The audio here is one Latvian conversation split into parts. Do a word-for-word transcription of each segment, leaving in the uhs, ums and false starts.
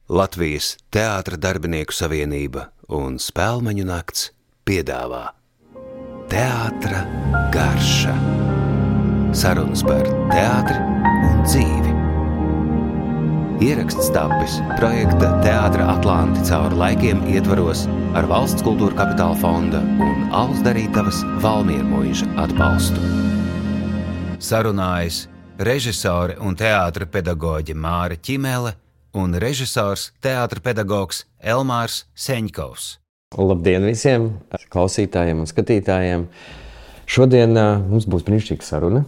Latvijas Teātra darbinieku savienība un Spēlmeņu nakts piedāvā Teātra garša. Sarunas par teātri un dzīvi. Ieraksts tapis projekta Teātra Atlanti cauri laikiem ietvaros ar Valsts kultūra kapitāla fonda un Alus Darītavas Valmiermuiža atbalstu. Sarunājas režisore un teātra pedagoģe Māra Ķimele un režisors, teātra pedagogs Elmārs Seņkovs. Labdien visiem klausītājiem un skatītājiem! Šodien uh, mums būs brīnišķīga saruna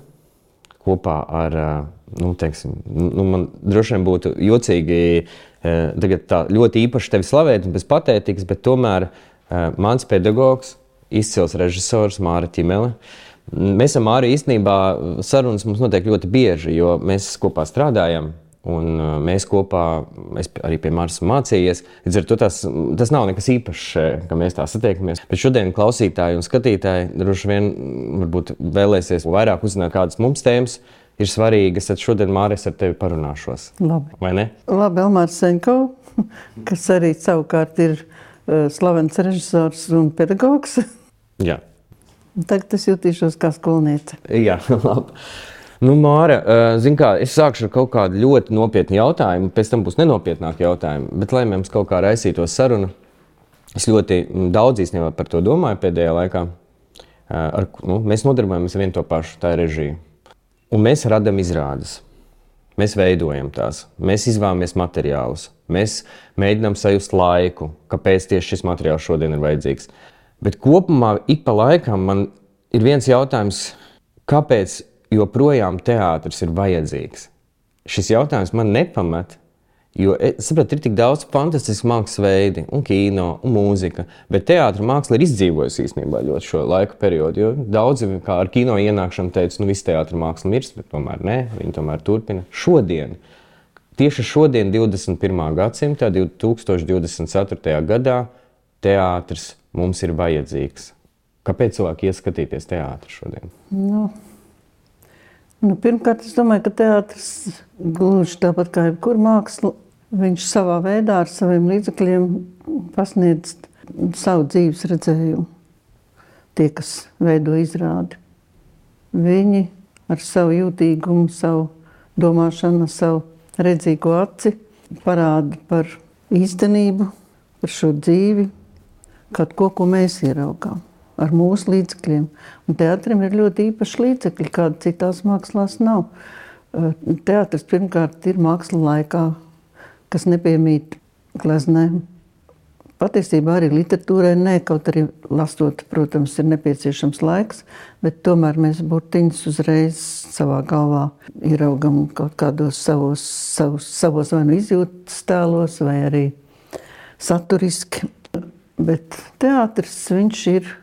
kopā ar, uh, nu, teiksim, nu, man droši vien būtu jocīgi uh, tagad tā ļoti īpaši tevi slavēt un bez patētikas, bet tomēr uh, mans pedagogs, izcils režisors Māra Ķimele. Mēs ar Māru īstenībā sarunas mums notiek ļoti bieži, jo mēs kopā strādājam. Un mēs kopā, es arī pie Māras mācījies, līdz ar to tas, tas nav nekas īpašs, ka mēs tā satiekamies. Bet šodien klausītāji un skatītāji droši vien varbūt vēlēsies vairāk uzzināt, kādas mums tēmas ir svarīgas, tad šodien Māris ar tevi parunāšos. Labi. Vai ne? Labi, Elmārs Seņkovs, kas arī savukārt ir uh, slavens režisors un pedagogs. Jā. Tagad es jutīšos kā skolniece. Jā, labi. Nu, Māra, zin kā, es sākšu ar kaut kādu ļoti nopietnu jautājumu, pēc tam būs nenopietnāki jautājumi, bet lai mums kaut kā raisītos saruna, es ļoti daudz īstenībā par to domāju pēdējā laikā. Ar, nu, mēs nodarbojamies vien to pašu, tā ir režija. Un mēs radam izrādes, mēs veidojam tās, mēs izvēlamies materiālus, mēs mēģinām sajust laiku, kāpēc tieši šis materiāls šodien ir vajadzīgs. Bet kopumā ik pa laikam man ir viens jautājums, kāpēc joprojām teātris ir vajadzīgs. Šis jautājums man nepamet, jo, saprāt, ir tik daudz fantastisku mākslas veidi, un kino, un mūzika, bet teātra māksla ir izdzīvojusi īstenībā ļoti šo laiku periodu, jo daudzi, kā ar kino ienākšanu teica, nu viss teātra māksla mirst, bet tomēr ne, viņi tomēr turpina. Šodien, tieši šodien, divdesmit pirmā gadsimtā, divi tūkstoši divdesmit ceturtajā gadā, teātris mums ir vajadzīgs. Kāpēc cilvēki iet skatīties teātri šodien? Nu. Nu, pirmkārt, es domāju, ka teātris gluži tāpat kā jebkur māksla, viņš savā veidā ar saviem līdzekļiem pasniedz savu dzīves redzējumu. Tie, kas veido izrādi. Viņi ar savu jūtīgumu, savu domāšanu, savu redzīgo aci parāda par īstenību, par šo dzīvi, kaut ko, ko mēs ieraugām. Ar mūsu līdzekļiem. Un teātrim ir ļoti īpaši līdzekļi, kāda citās mākslās nav. Teātris pirmkārt ir māksla laikā, kas nepiemīt gleznēm. Patiesībā arī literatūrai ne, kaut arī lasot, protams, ir nepieciešams laiks, bet tomēr mēs burtiņus uzreiz savā galvā ieraugam kaut kādos savos, savos, savos vai nu izjūtas tēlos, vai arī saturiski. Bet teātris, viņš ir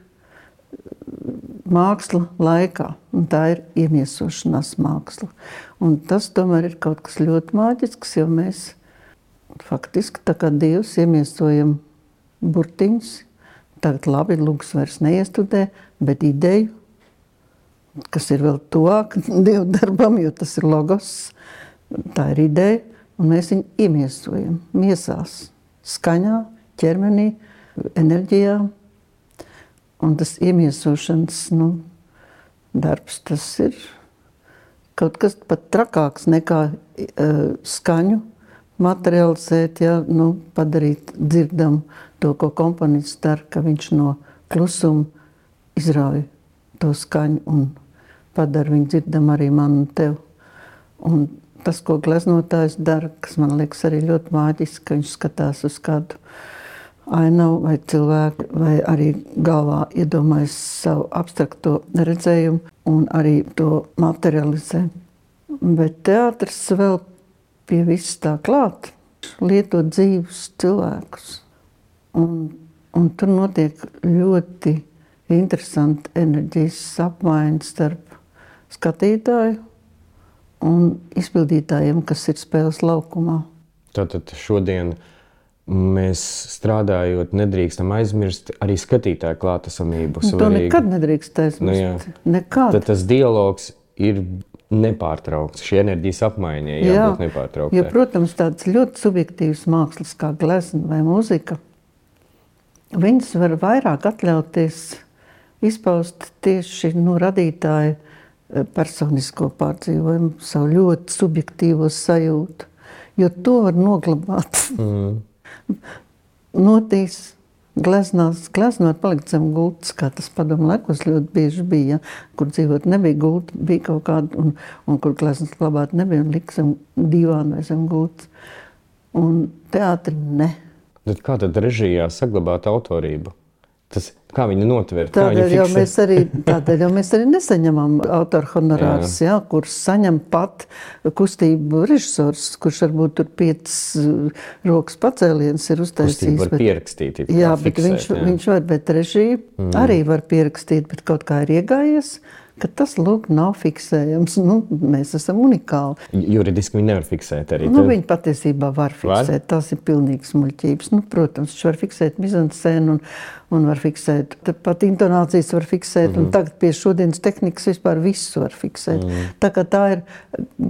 māksla laikā, un tā ir iemiesošanās māksla. Un tas tomēr ir kaut kas ļoti māģisks, jo mēs faktiski tā kā Dievs iemiesojam burtiņus. Tagad labi, lūgs vairs neiestudē, bet ideju, kas ir vēl tuvāk Dievu darbam, jo tas ir logos, tā ir ideja, un mēs viņu iemiesojam miesās, skaņā, ķermenī, enerģijā. Un tas iemiesošanas nu, darbs, tas ir kaut kas pat trakāks nekā uh, skaņu materializēt, ja, nu, padarīt dzirdam to, ko komponists dara, ka viņš no klusuma izrauj to skaņu un padara viņu dzirdam arī man un tev. Un tas, ko gleznotājs dara, kas man liekas arī ļoti māģiski, ka viņš skatās uz kādu ainavu vai cilvēku, vai arī galvā iedomājas savu abstrakto redzējumu un arī to materializē. Bet teātris vēl pie viss tā klāt, lieto dzīvus cilvēkus. Un, un tur notiek ļoti interesanti enerģijas apmaiņas starp skatītāju un izpildītājiem, kas ir spēles laukumā. Tātad šodien mēs strādājot, nedrīkstam aizmirst arī skatītāju klātesamību. To nekad nedrīkst aizmirst. Nu, nekad. Tad tas dialogs ir nepārtraukts. Šī enerģijas apmaiņa jābūt nepārtrauktai. Jo, protams, tāds ļoti subjektīvs mākslas kā glezna vai mūzika, viņas var vairāk atļauties izpaust tieši nu, radītāju personisko pārdzīvojumu, savu ļoti subjektīvo sajūtu, jo to var noglabāt. Mm. Notīs gleznās, glezna var palikt zem gultas, kā tas padomu laikos ļoti bieži bija, ja? Kur dzīvot nebija gulta, bija kaut kāda, un, un kur gleznas glabāt nebija, un lika zem divāna vai zem gultas. Un teātri ne. Bet kā tad režijā saglabāt autorību? Tas, kā viņi notver? Tādēļ jau mēs arī, tādēļ jau mēs arī nesaņemam autoru honorārus, ja, kurus saņem pat kustību režisors, kurš varbūt tur piecas rokas pacēliens ir uztaisījis. Kustību var pierakstīt. Jā, bet fiksēt, viņš, jā. viņš var, bet režija mm. arī var pierakstīt, bet kaut kā ir iegājies, ka tas, lūk, nav fiksējams. Nu, mēs esam unikāli. Juridiski viņi nevar fiksēt arī. Nu, viņi patiesībā var fiksēt. Var? Tas ir pilnīgs muļķības. Nu, protams, viņš var fiksēt mizanscēnu un, un var fiksēt, pat intonācijas var fiksēt, mm-hmm. un tagad pie šodienas tehnikas vispār visu var fiksēt. Mm-hmm. Tā kā tā ir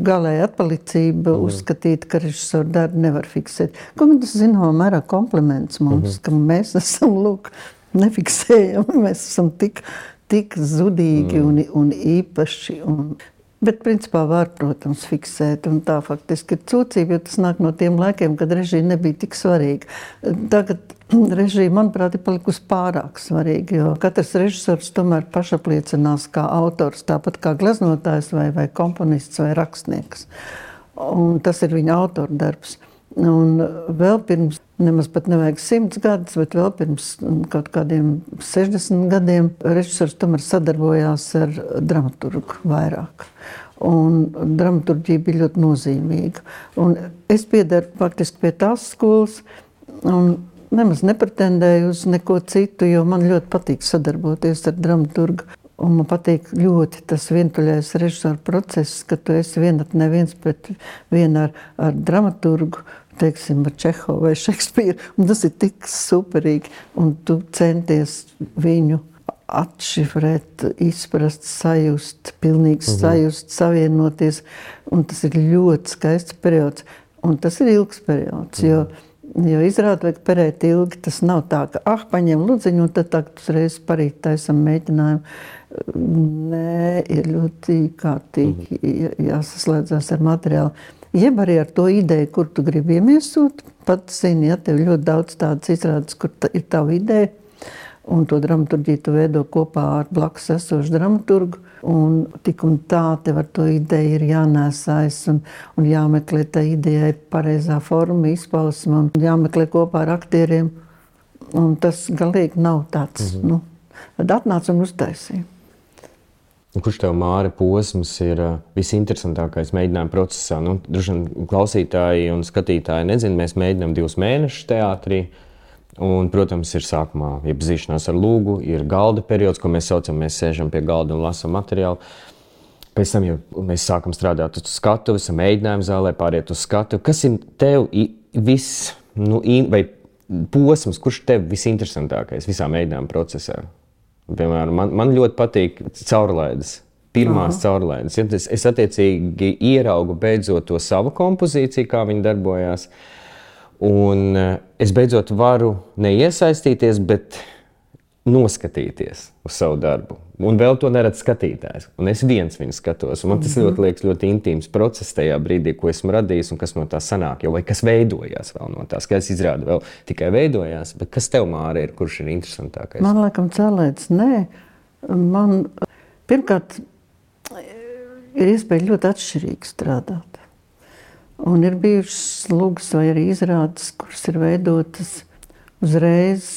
galēja atpalicība mm-hmm. uzskatīt, ka režisoru darbu nevar fiksēt. Ko man tas zināmā mērā kompliments mums, mm-hmm. ka mēs esam, lūk, nefiksējam, mēs esam tik... tik zudīgi mm. un, un īpaši. Un, bet, principā, var, protams, fiksēt. Un tā faktiski ir cūcība, jo tas nāk no tiem laikiem, kad režija nebija tik svarīga. Tagad režija, manuprāt, ir palikusi pārāk svarīga, jo katrs režisors tomēr pašapliecinās kā autors, tāpat kā gleznotājs vai, vai komponists vai rakstnieks. Un tas ir viņa autora darbs. Un vēl pirms, nemaz pat nevajag simts gadus, bet vēl pirms kaut kādiem sešdesmit gadiem režisors tomēr sadarbojās ar dramaturgu vairāk. Un dramaturģija bija ļoti nozīmīga. Un es piedaru faktiski pie tās skolas un nemaz nepretendēju uz neko citu, jo man ļoti patīk sadarboties ar dramaturgu. Un man patīk ļoti tas vientuļais režisora process, ka tu esi vienat neviens pret vienu ar, ar dramaturgu, teiksim, ar Čehovu vai Šekspīru. Un tas ir tik superīgi. Un tu centies viņu atšifrēt, izprast, sajust, pilnīgi mhm. sajust, savienoties. Un tas ir ļoti skaists periods. Un tas ir ilgs periods, mhm. jo Jo izrādi vajag perēt ilgi, tas nav tā, ka ah, paņem ludziņu un tad tagad uzreiz parīt taisam mēģinājumu. Nē, ir ļoti kārtīgi jāsaslēdzās ar materiālu. Jeb arī ar to ideju, kur tu gribi iemiesot. Pat zini, ja tev ļoti daudz tādas izrādes, kur ta, ir tava ideja, un to dramaturģiju tu veido kopā ar blakus esošu dramaturgu. Un tik un tā tev ar to ideju ir jānēsājas un, un jāmeklē tā idejai pareizā forma, izpausma un jāmeklē kopā ar aktieriem. Un tas galīgi nav tāds, mm-hmm. nu, tad atnāc un uztaisīja. Kurš tev, Māre, posms ir visinteresantākais mēģinājuma procesā? Nu, droši vien klausītāji un skatītāji nezin, mēs mēģinām divus mēnešus teātrī. Un, protams, ir sākumā iepazīšanās ar lūgu, ir galda periods, ko mēs saucam, mēs sēžam pie galda un lasam materiālu. Pēc tam jau mēs sākam strādāt uz skatuves, esam mēģinājumu zālē, pāriet uz skatuvi. Kas ir tev viss, nu, vai posms, kurš tev visinteresantākais visā mēģinājuma procesā? Piemēram, man, man ļoti patīk caurlaides, pirmās Aha. caurlaides. Ja? Es, es attiecīgi ieraugu beidzot to savu kompozīciju, kā viņi darbojās. Un es beidzot varu neiesaistīties, bet noskatīties uz savu darbu. Un vēl to neredz skatītājs. Un es viens viņu skatos. Un man tas ļoti liekas ļoti intīms process tajā brīdī, ko esmu radījis un kas no tā sanāk. Jo, vai kas veidojās vēl no tā. Skaidrs izrāda vēl tikai veidojās. Bet kas tev, Māre, ir, kurš ir interesantākais? Man laikam cēlēts, nē. Man pirmkārt ir iespēja ļoti atšķirīgi strādāt. Un ir bijušas lūgas vai arī izrādes, kuras ir veidotas uzreiz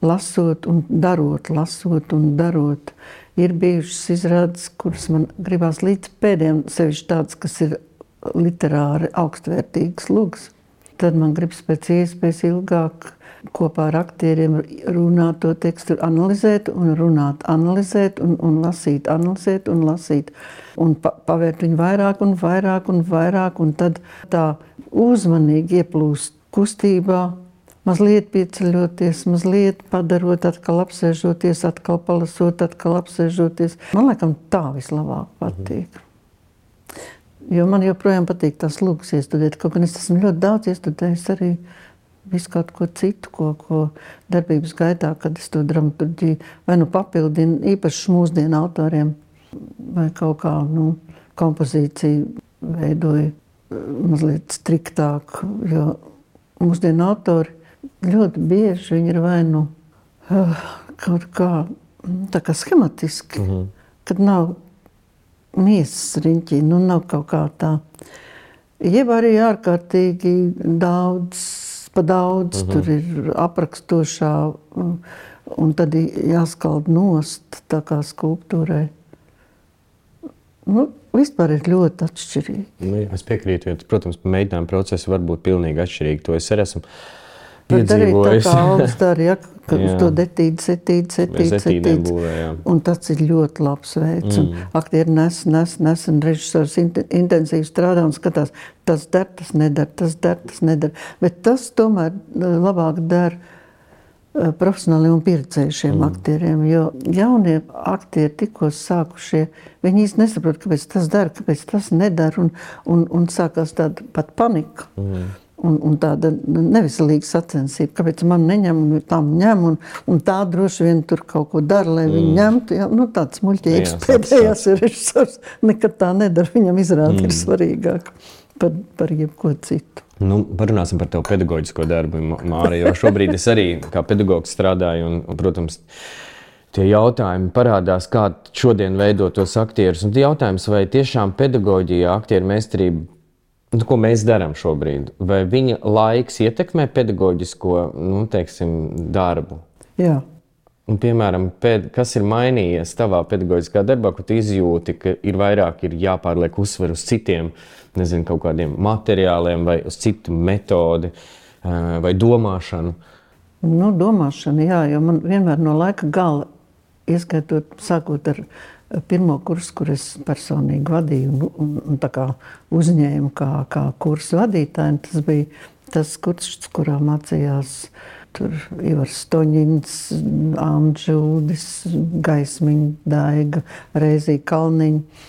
lasot un darot, lasot un darot. Ir bijušas izrādes, kuras man gribās līdz pēdējiem, sevišķi tādas, kas ir literāri augstvērtīgas lūgas. Tad man gribas pēc iespējas ilgāk kopā ar aktieriem runāt to tekstu, analizēt un runāt, analizēt un, un lasīt, analizēt un lasīt. Un pa, pavērt viņu vairāk un vairāk un vairāk, un tad tā uzmanīgi ieplūst kustībā, mazliet pieceļoties, mazliet padarot, atkal apsēžoties, atkal palasot, atkal apsēžoties. Man laikam tā vislabāk patīk. Jo man joprojām patīk tās lūgas iestudēt. Kaut gan es esmu ļoti daudz iestudējis arī visu kaut ko citu, ko, ko darbības gaitā, kad es to dramaturģiju vai nu papildinu īpaši mūsdienu autoriem vai kaut kā, nu, kompozīciju veidoju mazliet striktāk, jo mūsdienu autori ļoti bieži viņi ir vai nu kaut kā, tā kā schematiski, mm-hmm. kad nav miesas riņķī, nu nav kaut kā tā. Jeb arī ārkārtīgi daudz, pa daudz, mm-hmm. tur ir aprakstošā, un tad jāskald nost tā kā skulptūrai. Nu, vispār ir ļoti atšķirīgi. Nu, es piekrītu, jo, protams, mēģinājuma procesi var būt pilnīgi atšķirīgi. To es arī esmu piedzīvojis. Tad arī tā kā Alvis dara, ja, ka uz to detīdi, setīdi, setīdi, setīdi. Un tas ir ļoti labs veids. Mm. Un aktieri nes, nes, nes, un režisors intensīvi strādā un skatās, tas der, tas nedara, tas der, tas nedara. Bet tas tomēr labāk der profesionāliem un pieredzējušiem mm. aktieriem, jo jaunie aktieri tikko sākušie, viņi īsti nesaprot, kāpēc tas dara, kāpēc tas nedara, un, un, un sākās tāda pat panika. Mm. Un, un tāda neveselīga sacensība, kāpēc man neņem, un tam ņem, un, un tā droši vien tur kaut ko dara, lai mm. viņi ņemtu. Ja? Nu, tāds muļķīgs pēdējās ir režisors, nekad tā nedara, viņam izrāda mm. ir svarīgāk par, par jebko citu. Nu, parunāsim par tevu pedagoģisko darbu, Māra, jo šobrīd es arī kā pedagogs strādāju, un, un protams, tie jautājumi parādās, kā šodien veidot tos aktierus. Un jautājums, vai tiešām pedagoģija, aktieru meistarība, nu, ko mēs darām šobrīd, vai viņa laiks ietekmē pedagoģisko, nu, teiksim, darbu? Jā. Un, piemēram, pēd, kas ir mainījies tavā pedagoģiskā darbā, ko tu izjūti, ka ir vairāk ir jāpārliek uzsver uz citiem, nezinu, kaut kādiem materiāliem vai uz citu metodi vai domāšanu? Nu, domāšana, jā, jo man vienmēr no laika gala, ieskaitot, sākot ar pirmo kursu, kur es personīgi vadīju un, un, un tā kā uzņēmu kā, kā kursu vadītāju, tas bija tas kurs, kurā mācījās tur Ivars Stoņins, Amdžūdis, Gaismiņa, Daiga, Reizija Kalniņa,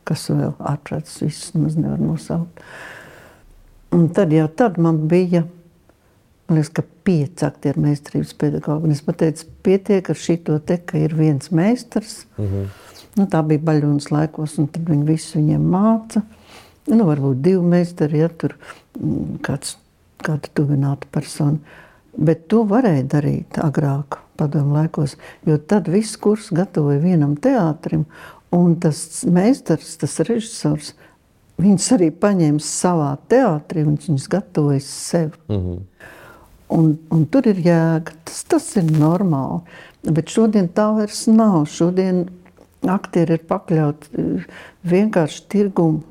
kas vēl ārprāts visus maz nevar nosaukt. Un tad jau tad man bija, man liekas, ka pieci aktieru meistarības pedagogi. Un es pateicu, pietiek ar šito te, ka ir viens meistars. Mm-hmm. Nu, tā bija Baļunas laikos, un tad viņi visu viņiem māca. Nu, varbūt divi meistari, ja tur kāds, kāda tuvināta persona. Bet to varēja darīt agrāk, padomu laikos, jo tad viss kurs gatavoja vienam teātrim, un tas meistars, tas režisors, viņus arī paņēma savā teātrī, un viņus gatavoja sev. Mm-hmm. Un, un tur ir jēga, tas, tas ir normāli. Bet šodien tā vairs nav. Šodien aktieri ir pakļauti vienkārši tirgumu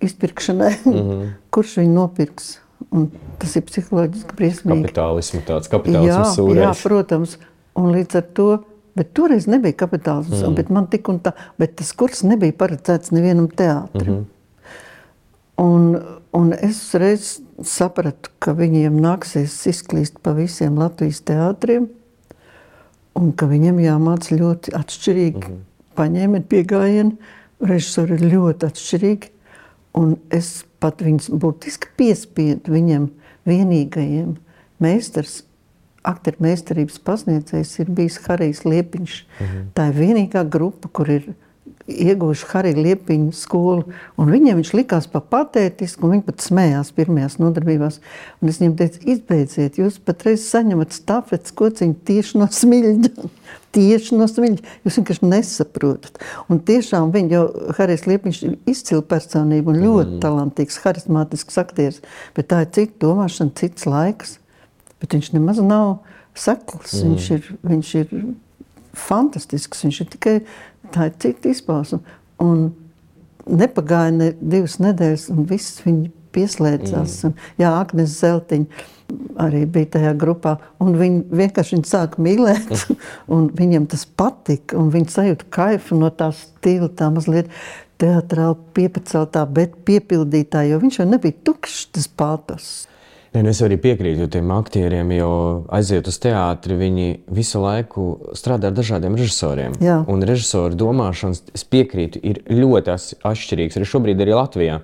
izpirkšanai, mm-hmm. kurš viņu nopirks. Un tas ir psiholoģiski briesmīgi. Kapitālismu tāds, kapitālismu sūrējs. Jā, protams. Un līdz ar to, bet toreiz nebija kapitālisms, mm. bet man tik un tā, bet tas kurs nebija paredzēts nevienam teātrim. Mm-hmm. Un, un es reiz sapratu, ka viņiem nāksies izklīst pa visiem Latvijas teātriem, un ka viņiem jāmāca ļoti atšķirīgi. Mm-hmm. Paņēmieni piegājieni, režisori ir ļoti atšķirīgi, un es pat viņus būtiski piespiedu viņam vienīgajiem. Meistars, aktieru meistarības pasniedzējs ir bijis Harijs Liepiņš. Mm-hmm. Tā ir vienīgā grupa, kur ir ieguvuši Harija Liepiņa skolu, un viņiem viņš likās pa patētisku, un viņi pat smējās pirmajās nodarbībās. Un es viņiem teicu, izbeidziet, jūs patreiz saņemat stafetes kociņu tieši no smiļģa. Tieši no smiļģa. Jūs vienkārši nesaprotat. Un tiešām viņi jau, Harijs Liepiņš ir izcila personība un ļoti mm. talantīgs, harismātisks aktieris, bet tā ir cita domāšana, cits laiks. Bet viņš nemaz nav sekls, mm. viņš ir, viņš ir fantastisks, viņš ir tikai tā ir cita izpausme. Un nepagāja ne divas nedēļas, un viss viņi pieslēdzās. Mm. Un, jā, Agnes Zeltiņa arī bija tajā grupā, un viņi vienkārši viņi sāka mīlēt, un viņiem tas patika, un viņi sajūta kaifu no tā stila, tā mazliet teatrāli piepaceltā, bet piepildītā, jo viņš jau nebija tukšs, tas pātos. Ja, nu es arī piekrītu tiem aktieriem, jo aiziet uz teātri, viņi visu laiku strādā ar dažādiem režisoriem. Jā. Un režisoru domāšanas, es piekrītu, ir ļoti atšķirīgs arī šobrīd arī Latvijā.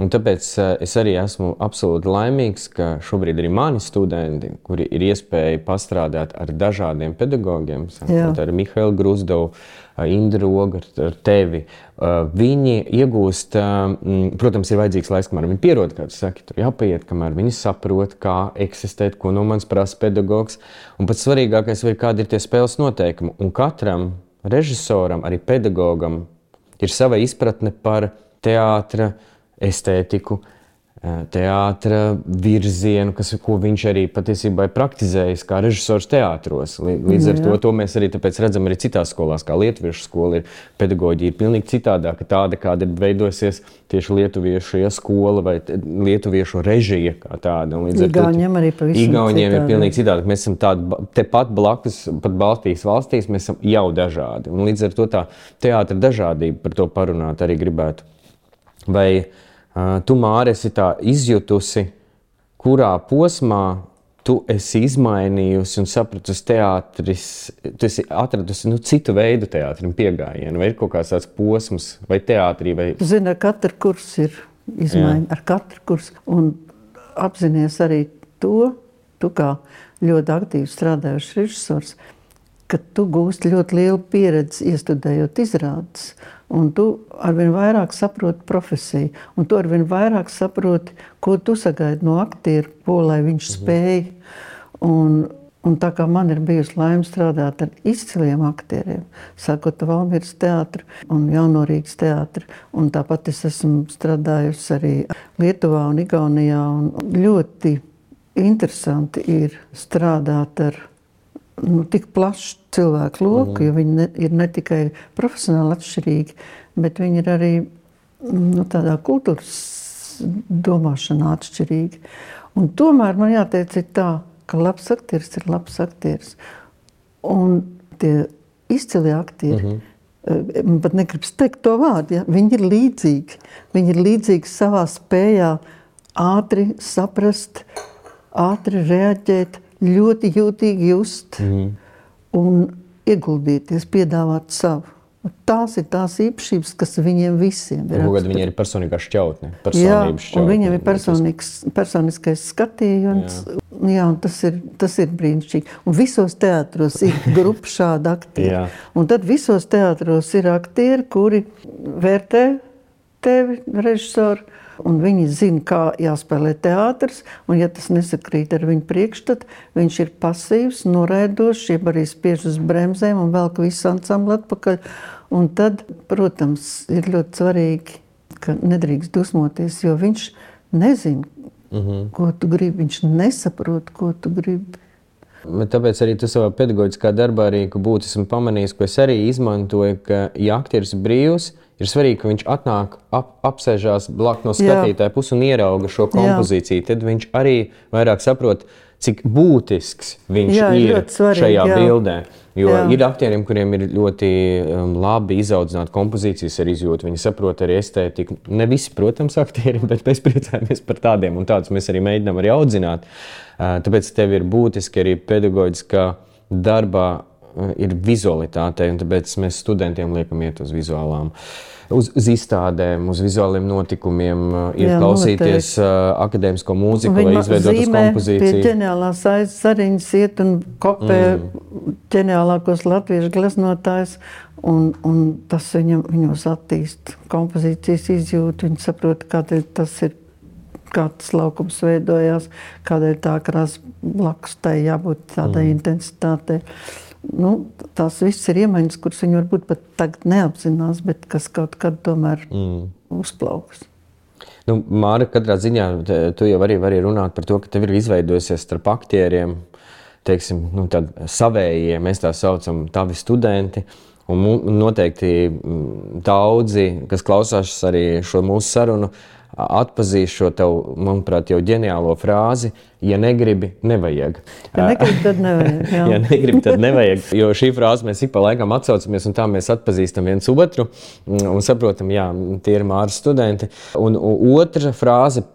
Un tāpēc es arī esmu absolūti laimīgs, ka šobrīd arī mani studenti, kuri ir iespēja pastrādāt ar dažādiem pedagogiem, ar Mihailu Gruzdovu, Indru Rogu, ar tevi, viņi iegūst, protams, ir vajadzīgs laiks, kamēr viņi pierod, kā tu saki, tur jāpaiet, kamēr viņi saprot, kā eksistēt, ko no manis prasa pedagogs. Un pats svarīgākais, vai kādi ir tie spēles noteikumi. Un katram režisoram, arī pedagogam, ir sava izpratne par teātra estētiku, teātra virzienu, kas, ko viņš arī patiesībā ir praktizējis kā režisors teātros. Līdz ar to, to mēs arī tāpēc redzam arī citās skolās, kā lietuviešu skola ir, pedagoģija ir pilnīgi citādāka, tāda, kāda ir veidosies tieši lietuviešu ja, skola vai lietuviešu režija kā tāda. Igauņiem arī pavisam Igauņiem ir pilnīgi citādāk. Mēs esam tādi, tepat blakus, pat Baltijas valstīs, mēs esam jau dažādi. Un līdz ar to tā teātra dažādība, par to parunāt arī gribētu. Vai uh, tu, Māri, esi tā izjutusi, kurā posmā tu esi izmainījusi un sapratusi teātris, tu esi atradusi nu, citu veidu teātrim piegājienu, vai ir kaut kāds tāds posms, vai teātrī, vai... Tu zini, ar katru kursu ir izmaiņa, ar katru kursu, un apzinies arī to, tu kā ļoti aktīvi strādājuši režisors, ka tu gūsti ļoti lielu pieredzi iestudējot izrādes. Un tu arvien vairāk saproti profesiju, un tu arvien vairāk saproti, ko tu sagaidi no aktieru, ko lai viņš spēj. Un, un tā kā man ir bijusi laime strādāt ar izciliem aktieriem, sākot Valmieras teātru un Jaunorīgas teātru, un tāpat es esmu strādājusi arī Lietuvā un Igaunijā, un ļoti interesanti ir strādāt ar nu, tik plašu cilvēku loku, mm. jo viņi ne, ir ne tikai profesionāli atšķirīgi, bet viņi ir arī nu, tādā kultūras domāšanā atšķirīgi. Un tomēr man jāteic ir tā, ka labs aktieris ir labs aktieris. Un tie izcilie aktieri, mm-hmm. man pat negribas teikt to vārdu, ja? Viņi ir līdzīgi. Viņi ir līdzīgi savā spējā ātri saprast, ātri reaģēt, ļoti jūtīgi just mm. un ieguldīties, piedāvāt savu. Tās ir tās īpašības, kas viņiem visiem ir. Kāda viņi ir personīgā šķautne, jā, šķautne. Un viņiem ir personiskais skatījums. Jā, jā un tas ir, tas ir brīnišķīgi. Un visos teātros ir grupa šāda aktieri. Un tad visos teātros ir aktieri, kuri vērtē tevi, režisoru, un viņi zina, kā jāspēlē teātrs, un ja tas nesakrīt ar viņu priekšstatu, viņš ir pasīvs, noraidošs, jeb arī spiež uz bremzēm un velk visu ansambli atpakaļ. Un tad, protams, ir ļoti svarīgi, ka nedrīkst dusmoties, jo viņš nezina, mm-hmm. ko tu gribi, viņš nesaprot, ko tu gribi. Bet tāpēc arī tu savā pedagoģiskā darbā arī, ka būtu esmu pamanījis, ko es arī izmantoju, ka ja aktieris brīvs, ir svarīgi, ka viņš atnāk, ap, apsēžās blak no skatītāja puses un ierauga šo kompozīciju. Jā. Tad viņš arī vairāk saprot, cik būtisks viņš jā, ir svarīgi, šajā jā. Bildē. Jo jā. Ir aktieriem, kuriem ir ļoti um, labi izaudzināta kompozīcijas ar izjūtu. Viņi saprot arī estētiku. Ne visi, protams, aktieri, bet mēs priecājamies par tādiem un tādus mēs arī mēģinām arī audzināt. Uh, tāpēc tev ir būtiski arī pedagoģiskā darbā ir vizualitāte, un tāpēc mēs studentiem liekam iet uz vizuālām, uz, uz izstādēm, uz vizuāliem notikumiem, iet jā, klausīties uh, akadēmisko mūziku, lai izveidotas kompozīciju. Pie ģeniālās sariņas iet un kopē mm. ģeniālākos latviešu gleznotājus, un, un tas viņam, viņos attīst kompozīcijas izjūtu, viņi saprot, kādēļ tas ir, kā tas laukums veidojās, kādēļ tā krāsa blakus tai jābūt tādai mm. intensitātei. Nu, tās viss ir iemaņas, kuras viņi varbūt pat tagad neapzinās, bet kas kaut kad tomēr mm. uzplauks. Nu, Māra, katrā ziņā tu jau arī vari runāt par to, ka tev ir izveidojusies starp aktieriem, teiksim, nu, tādi savējie, mēs tā saucam, tavi studenti, un noteikti daudzi, kas klausās arī šo mūsu sarunu, atpazīst šo tavu, manuprāt, jau ģeniālo frāzi, ja negribi, nevajag. Ja negribi, tad nevajag. Jā. ja negribi, tad nevajag, jo šī frāze mēs ik pa laikam atsaucamies, un tā mēs atpazīstam viens otru, un saprotam, jā, tie ir Māras studenti. Un, un otra frāze,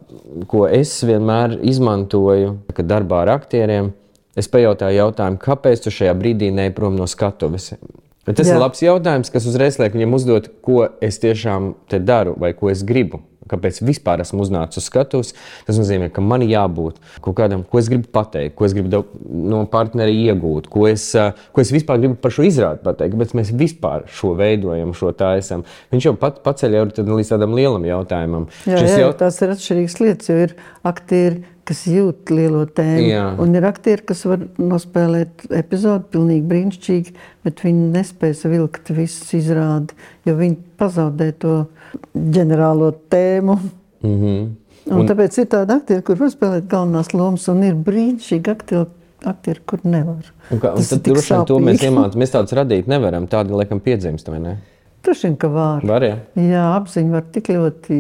ko es vienmēr izmantoju, kad darbā ar aktieriem, es pajautāju jautājumu, kāpēc tu šajā brīdī neej prom no skatuves? Bet tas jā. Ir labs jautājums, kas uzreiz liek viņam uzdot, ko es tiešām te daru vai ko es gribu. Kāpēc vispār esmu uznācis uz skatuves? Tas nozīmē, ka man jābūt kaut kādam, ko es gribu pateikt, ko es gribu no partneri iegūt, ko es, ko es vispār gribu par šo izrādi pateikt, kāpēc mēs vispār šo veidojam, šo taisam. Viņš jau pat paceļ jau līdz tādam lielam jautājumam. Jā, jā, jaut... tās ir atšķirīgas lietas, jo ir aktieri, kas jūt lielo tēmu, jā. Un ir aktieri, kas var nospēlēt epizodu pilnīgi brīnišķīgi, bet viņi nespēs vilkt visus izrādi, jo viņi pazaudē to ģenerālo tēmu. Mm-hmm. Un, un tāpēc ir tādi aktieri, kur var spēlēt galvenās lomas, un ir brīnišķīgi aktieri, aktieri kur nevar. Un kā, un tad droši vien to mēs iemācām, mēs tādus radīt nevaram, tādi laikam piedzimst, vai ne? Droši vien, ka var. Var, jā. Jā, apziņu var tik ļoti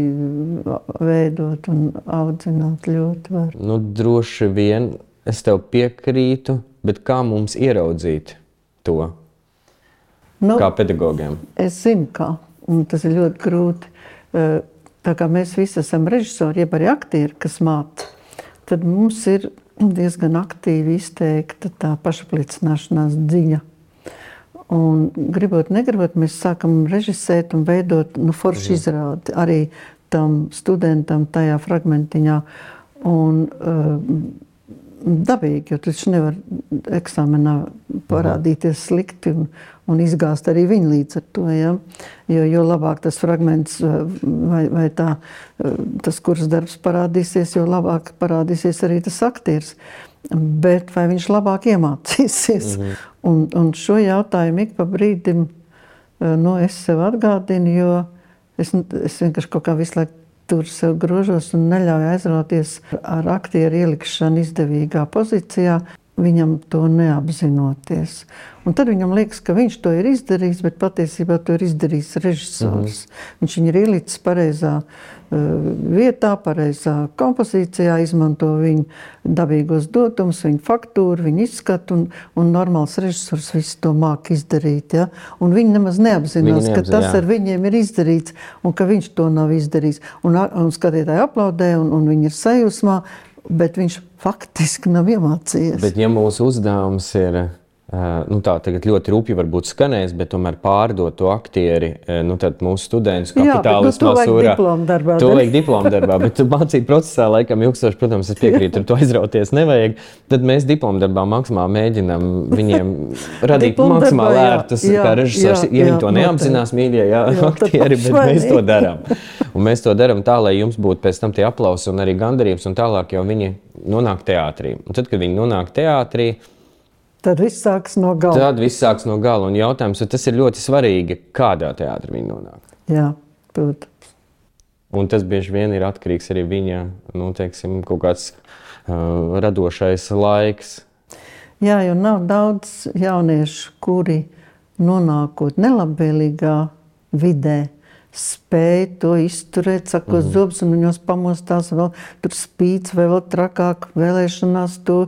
veidot un audzināt ļoti var. Nu, droši vien es tev piekrītu, bet kā mums ieraudzīt to? Nu, kā pedagogiem? Es zinu, kā. Un tas ir ļoti grūti. Tā kā mēs visi esam režisori, jeb arī aktieri, kas māca, tad mums ir diezgan aktīvi izteikta tā pašapliecināšanās dziņa. Un gribot, negribot, mēs sākam režisēt un veidot nu, foršu izrādi arī tam studentam tajā fragmentiņā. Un uh, dabīgi, jo taču nevar eksāmenā parādīties slikti un, un izgāzt arī viņu līdz ar to. Ja? Jo, jo labāk tas fragments vai, vai tā, tas kurs darbs parādīsies, jo labāk parādīsies arī tas aktieris. Bet vai viņš labāk iemācīsies? Mm-hmm. Un, un šo jautājumu ik pa brīdim nu, es sev atgādinu, jo es, es vienkārši kaut kā visu laiku tur sev grožos un neļauju aizrauties ar aktieru ielikšanu izdevīgā pozīcijā, viņam to neapzinoties. Un tad viņam liekas, ka viņš to ir izdarījis, bet patiesībā to ir izdarījis režisors. Mm-hmm. Viņš viņu ir ielicis pareizā uh, vietā, pareizā kompozīcijā, izmanto viņu dabīgos dotumus, viņu faktūru, viņu izskatu, un, un normāls režisors visu to māk izdarīt. Ja? Un viņi nemaz neapzinās, viņi ka tas jā. Ar viņiem ir izdarīts, un ka viņš to nav izdarījis. Un, un skatītāji aplaudē, un, un viņi ir sajūsmā, bet viņš faktiski nav iemācījies. Bet ja mūsu uzdevums ir, nu tā tagad ļoti rūpji varbūt skanēs, bet tomēr pārdot to aktieri, nu tad mūsu studentus kapitālismā sūrā. Jā, bet nu, to vajag diploma darbā. To vajag diploma darbā, bet mācīt procesā laikam ilgstoši, protams, es piekrītu, ar to aizrauties nevajag. Tad mēs diploma darbā maksimāli mēģinam viņiem radīt maksimāli ērtus, kā režisors, ja jā, viņi to neapzinās, mīļie, jā, jā aktieri, bet mēs to darām. Un mēs to darām tā, lai jums būtu pēc tam tie aplausi un arī gandarības, un tālāk jau viņi nonāk teātrī. Un tad, kad viņi nonāk teātrī, tad viss sāks no gala. Tad viss sāks no gala. Un jautājums, tas ir ļoti svarīgi, kādā teātrī viņi nonāk. Jā, protams. Un tas bieži vien ir atkarīgs arī viņa, nu, teiksim, kaut kāds uh, radošais laiks. Jā, jo nav daudz jauniešu, kuri nonākot nelabvēlīgā vidē, spēja to izturēt, sakot mm-hmm. zobs, un viņos pamostās vēl tur spīts vai vēl trakāk vēlēšanās to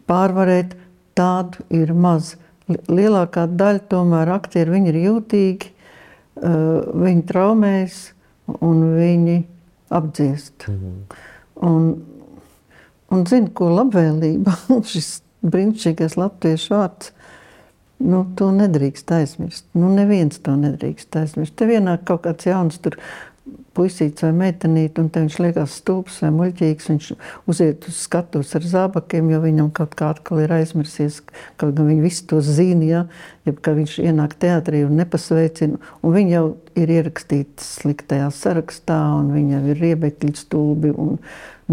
pārvarēt. Tādu ir maz. Lielākā daļa tomēr aktieri, viņi ir jūtīgi, viņi traumējas un viņi apdziest. Mm-hmm. Un, un zinu, ko labvēlība, šis brīnišķīgais latviešu vārds, nu, to nedrīkst aizmirst. Nu, neviens to nedrīkst aizmirst. Te vienā kaut kāds jauns tur puisīts vai meitenīt, un te viņš liekas stulbs vai muļķīgs, viņš uziet uz skatuves ar zābakiem, jo viņam kaut kā atkal ir aizmirsies, kaut gan viņi visi to zina, ja, ja ka viņš ienāk teātrī un nepasveicina, un viņi jau ir ierakstīti sliktajā sarakstā, un viņi jau ir riebekļi, stulbi un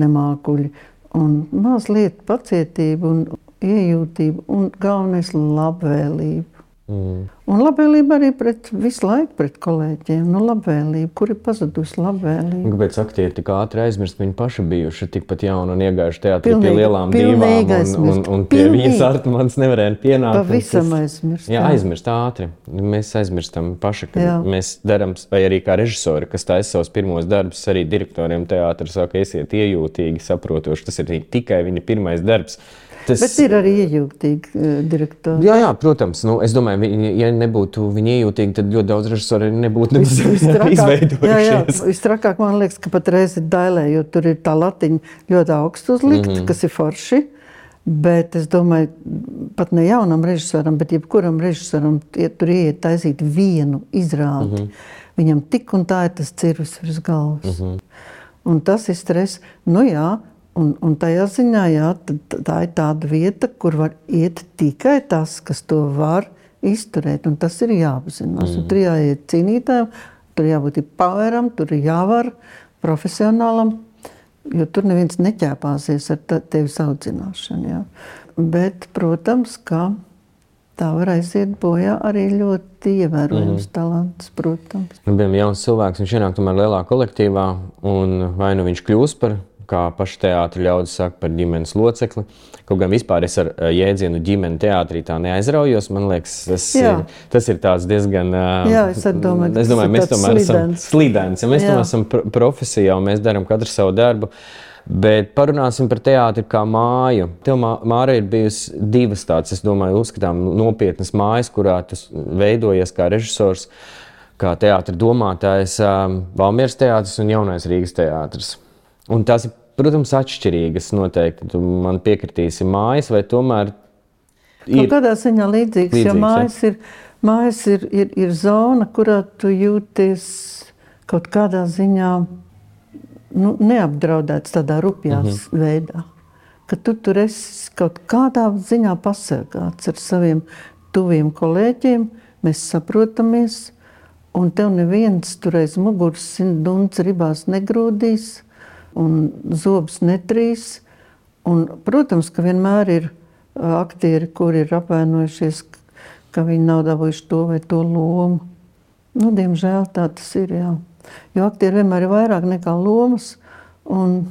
nemākuļi. Un mazliet pacietību un iejūtību un galvenais labvēlību. Mm. Un labvēlība arī pret visu laiku pret kolēģiem. Nu, labvēlība, kur ir pazudusi labvēlība. Kāpēc aktieri tik ātri aizmirst, viņi paši bijuši tikpat jauni un iegājuši teātrī pie Pilnīgi, lielām pilnīgi divām, un, un, aizmirst. un pie Pilnīgi. viņas Artmans nevarēja pienākt. Pavisam Tas- aizmirst, Jā, jā. aizmirst ātri. Mēs aizmirstam paši, ka Jā. mēs darām, vai arī kā režisori, kas taisa savus pirmos darbus, arī direktoriem teātra saka, esiet iejūtīgi, saprotoši, tas ir tikai viņa pirmais darbs. Tas... Bet ir arī iejūtīgi uh, direktori. Jā, jā, protams. Nu, es domāju, viņi, ja nebūtu viņi iejūtīgi, tad ļoti daudz režisori nebūtu Vis- visstrakāk- izveidojušies. Jā, jā, visstrakāk man liekas, ka pat reiz ir dailē, jo tur ir tā latiņa ļoti augstu uzlikt, mm -hmm. kas ir forši. Bet es domāju, pat ne jaunam režisoram, bet jebkuram režisoram, ja tur ieiet taisīt vienu izrādi, mm -hmm. viņam tik un tā ir tas cirvis virs galvas. Mm -hmm. Un tas ir stress. Nu jā, un, un tajā ziņā, jā, tā, tā ir tāda vieta, kur var iet tikai tas, kas to var izturēt. Un tas ir jāapzinās. Mm. Tur jāiet cīnītājiem, tur jābūt ir poweram, tur ir jāvar profesionālam, jo tur neviens neķēpāsies ar te- tevis audzināšanu. Jā. Bet, protams, ka tā var aiziet bojā arī ļoti ievērojams mm. talants, protams. Nu, bijām jauns cilvēks, viņš ienāk tomēr lielā kolektīvā, un vai nu viņš kļūst par, kā paši teātri ļaudis saka, par ģimenes locekli. Kaut gan vispār es ar uh, jēdzienu ģimeni teātrī tā neaizraujos, man liekas, tas, Jā. ir, tas ir tāds diezgan... Uh, Jā, es arī domāju, ka es tas domāju, ir mēs tāds tomēr esam slidens. slidens, ja mēs Jā. tomēr esam pr profesijā un mēs darām katru savu darbu. Bet parunāsim par teātri kā māju. Tev, Māra, ir bijusi divas tādas, es domāju, uzskatām nopietnas mājas, kurā tu veidojies kā režisors, kā teātra domātājs, um, Valmieras teātris un Jaunais Rīgas teātris. Un tās ir, protams, atšķirīgas noteikti. Tu man piekritīsi mājas, vai tomēr Kaut ir kādā ziņā līdzīgs, Līdzīgs, jo jā. mājas ir, mājas ir, ir, ir zona, kurā tu jūties kaut kādā ziņā nu, neapdraudēts tādā rupjās mm-hmm. veidā. Ka tu tur esi kaut kādā ziņā pasargāts ar saviem tuviem kolēģiem, mēs saprotamies, un tev neviens tur aiz muguras simt dunds ribās negrūdīs, un zobs netrīs. Un, protams, ka vienmēr ir ā, aktieri, kuri ir apvainojušies, ka viņi nav dabūjuši to vai to lomu. Nu, diemžēl tā tas ir, jā. Jo aktieri vienmēr ir vairāk nekā lomas, un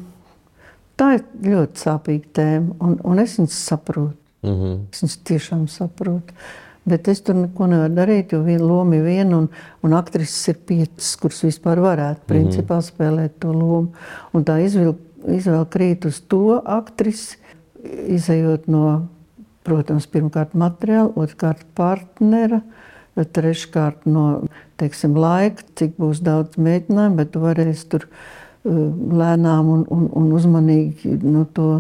tā ir ļoti sāpīga tēma, un, un es viņus saprotu. mm-hmm. Es viņus tiešām saprotu. Bet es tur neko nevaru darīt, jo viena loma ir viena, un, un aktrises ir piecas, kuras vispār varētu principā spēlēt to lomu. Un tā izvēle, izvēle krīt uz to aktrisi, izejot no, protams, pirmkārt materiāla, otrkārt partnera, treškārt no, teiksim, laika, cik būs daudz mēģinājumu, bet tu varēsi tur uh, lēnām un, un, un uzmanīgi no to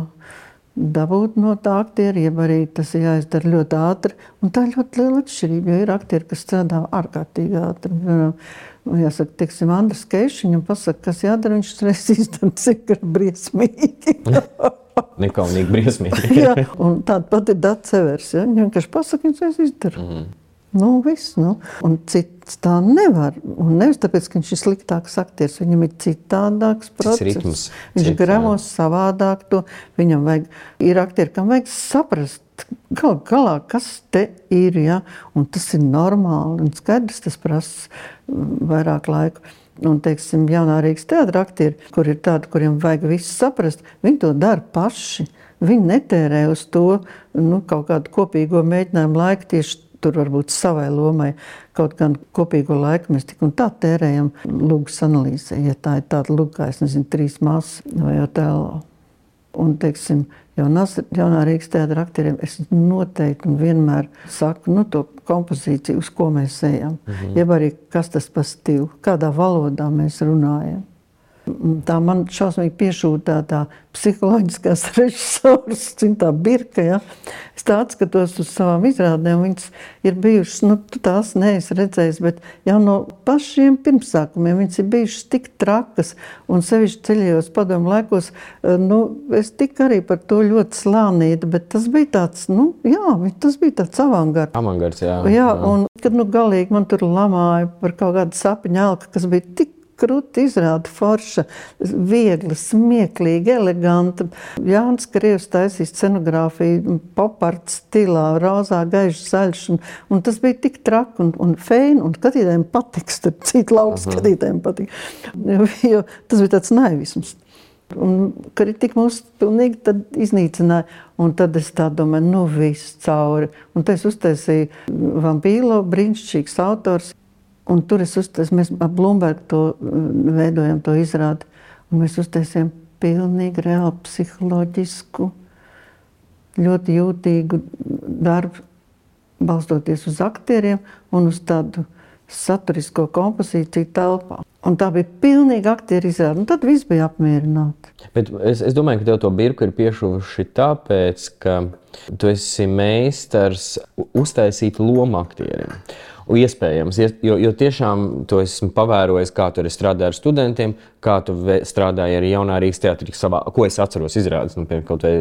dabūt no tā aktiera, jeb arī tas ir jāizdara ļoti ātri. Un tā ir ļoti liela atšķirība, jo ir aktieri, kas strādā ārkārtīgi ātri. Jāsaka, teiksim, Andris Keišs, viņam pasaka, kas jādara, viņš reiz izdara, cik ir briesmīgi. Nekaunīgi briesmīgi. Jā, un tāda pat ir Dats Severs, ja? Viņam vienkārši pasaka, viņš reiz izdara. Mm. Nu, viss, nu. Un cits tā nevar. Un nevis tāpēc, ka viņš ir sliktāks aktieris, viņam ir citādāks process. ritms, Viņš cits, gramos savādāk to. Viņam vajag, ir aktieri, kam vajag saprast, gal galā, kas te ir, ja? Un tas ir normāli. Un skaidrs, tas prasa vairāk laiku. Un, teiksim, Jaunā Rīgas teātra aktieri, kur ir tādi, kuriem vajag visu saprast, viņi to dara paši. Viņi netērē uz to nu, kaut kādu kopīgo mēģinājumu laiku tieši tur varbūt savai lomai. Kaut gan kopīgo laiku mēs tik un tā tērējam lugas analīzē, ja tā ir tāda luga, kā es nezinu, trīs māsas vai Otello. Un, teiksim, jaunās, Jaunā Rīgas teātra aktieriem es noteikti un vienmēr saku, nu, to kompozīciju, uz ko mēs ejam. Mm-hmm. Jeb arī, kas tas pa stilu, kādā valodā mēs runājam. Tā man šausmīgi piešūtā tā psiholoģiskās režisors, tā birka, ja. Es tā atskatos uz savām izrādēm, viņas ir bijušas, nu, tu tās neesi redzējis, bet jau no pašiem pirmsākumiem viņas ir bijušas tik trakas, un sevišķi ceļojos padomu laikos, nu, es tik arī par to ļoti slānīta, bet tas bija tāds, nu, jā, tas bija tāds avangards. Avangards, jā. Jā, un kad, nu, galīgi man tur lamāja par kaut kādu sapiņu elku, kas bija tik kruta izrāda, forša, viegla, smieklīga, eleganta. Jānis Krievs taisīja scenogrāfiju poparts stilā, rozā, gaišs, zaļš, un, un tas bija tik traki un, un feini, un skatītājiem patiks, tad citu lauku skatītājiem patīk. Jo, jo tas bija tāds naivisms. Un kritika mūs pilnīgi tad iznīcināja. Un tad es tā domāju, nu viss cauri. Un tad es uztaisīju Vampīlo, brīnišķīgs autors. Un tur es uztaisīju, mēs ar Blumbergu to veidojam, to izrādi. Un mēs uztaisījām pilnīgi reāli psiholoģisku, ļoti jūtīgu darbu, balstoties uz aktieriem un uz tādu saturisko kompozīciju telpā. Un tā bija pilnīgi aktieri izrāde, un tad viss bija apmierināti. Bet es, es domāju, ka tev to birku ir piešuvuši tāpēc, ka tu esi meistars uztaisīt lomu aktieriem. Un iespējams, jo, jo tiešām to esmu pavērojis, kā tu arī strādāji ar studentiem, kā tu strādāji arī jaunā Rīgas teātrī, savā, ko es atceros izrādes, nu, piemēram, kaut vai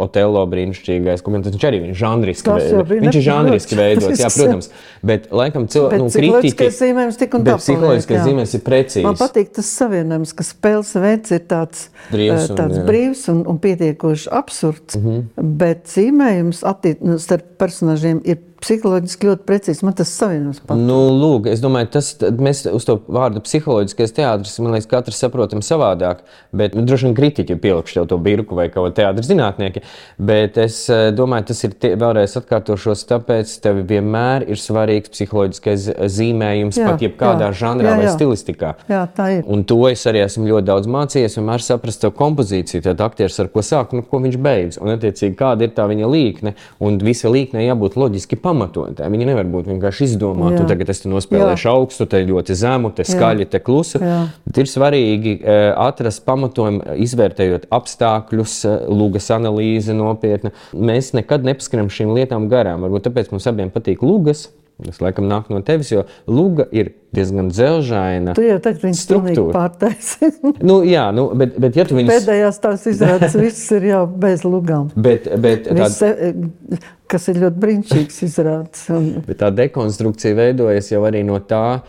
Otello brīnišķīgais, ko viņš arī viņš žanriski veidots. Viņš ir žanriski veidots, jā, protams, bet laikam cilvēki, nu, kritiķi, zīmējums tik un bet psiholoģiskais zīmējums ir precīzs. Man patīk tas savienojums, ka spēles veids ir tāds brīvs un, tāds brīvs un, un pietiekoši absurds, mm-hmm. bet zīmējums attiec, starp personāžiem ir psiholoģiski ļoti precīzi. Man tas savienojums patīk. Nu, lūk, es domāju, tas, mēs uz to vārdu psiholoģiskais teātris, man liekas, katrs saprotam savādāk, bet nu, droši vien kritiķi pielikšu tev to birku vai kaut teātris zinātnieki, bet es domāju, tas ir tie, vēlreiz atkārtošos, tāpēc tev vienmēr ir svarīgs psiholoģiskais zīmējums, jā, pat jebkādā jā, žanrā jā, jā. vai stilistikā. Jā, tā ir. Un to es arī esmu ļoti daudz mācījies, vienmēr saprast tev kompozīciju, tad aktieris ar ko sāk un ko viņš beidz, un attiecīgi kāda ir tā viņa līkne, un visa līkne jābūt loģiski pamatotā. Viņa nevar būt vienkārši izdomāta, un tagad es te nospēlēšu augstu, te ļoti zemu, te skaļi, te klusu. Bet ir svarīgi atrast pamatojumu, izvērtējot apstākļus, lugas analīze nopietna. Mēs nekad nepaskaram šīm lietām garām. Varbūt tāpēc mums abiem patīk lugas. Tas laikam nāk no tevis, jo luga ir diezgan dzelžaina struktūra. Tu jau tagad viņas pilnīgi pārtaisi. nu, jā, nu, bet, bet ja tu viņas... Pēdējās tās izrādes viss ir jau bez lugām. Bet, bet viss, tād... kas ir ļoti brīnišķīgs izrādes. Un... Bet tā dekonstrukcija veidojas jau arī no tā,